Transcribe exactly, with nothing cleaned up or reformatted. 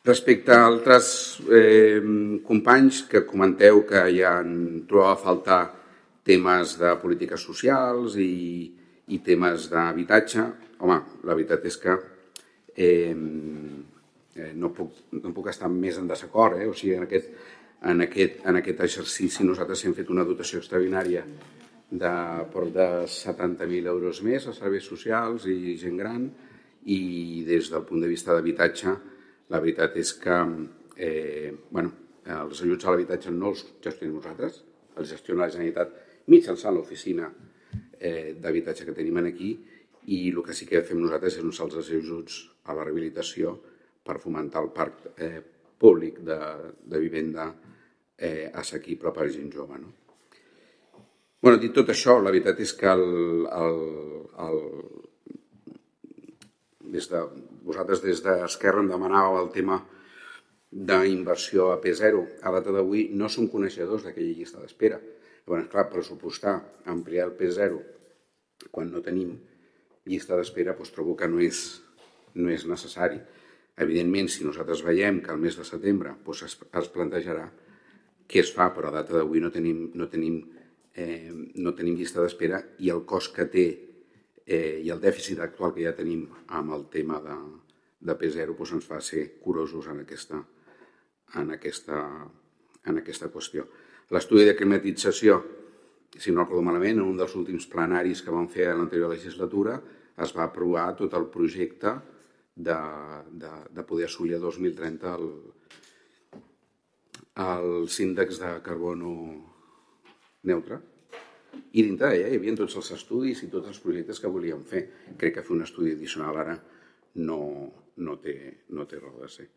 Respecte a altres eh, companys que comenteu que ja en trobava a faltar temes de polítiques socials i, i temes d'habitatge, home, la veritat és que eh, no, puc, no puc estar més en desacord. Eh? O sigui, en aquest, en, aquest, en aquest exercici nosaltres hem fet una dotació extraordinària de prop de setanta mil euros més a serveis socials i gent gran, i des del punt de vista d'habitatge la veritat és que eh, bueno, els ajuts a l'habitatge no els gestionem nosaltres, els gestiona la Generalitat mitjançant l'oficina eh, d'habitatge que tenim aquí, i el que sí que fem nosaltres és uns altres ajuts a la rehabilitació per fomentar el parc eh, públic de, de vivenda eh, assequible per a gent jove. No? Bueno, dit tot això, la veritat és que el, el, el, des de, vosaltres des d'Esquerra em demanàveu el tema d'inversió a P zero. A data d'avui no som coneixedors d'aquella llista d'espera. Llavors, clar, pressupostar, ampliar el P zero quan no tenim llista d'espera, doncs trobo que no és, no és necessari. Evidentment, si nosaltres veiem que al mes de setembre doncs es, es plantejarà què es fa, però a data d'avui no tenim, no tenim, eh, no tenim llista d'espera, i el cost que té eh, i el dèficit actual que ja tenim amb el tema de, de P zero doncs ens fa ser curosos en aquesta, en aquesta, en aquesta qüestió. L'estudi de climatització, si no recordo malament, en un dels últims plenaris que vam fer a l'anterior legislatura es va aprovar tot el projecte de, de, de poder assolir a dos mil trenta el, els índexs de carbono neutre. I dintre d'ella hi havia tots els estudis i tots els projectes que volíem fer. Crec que fer un estudi addicional ara no, no, té, no té raó de ser.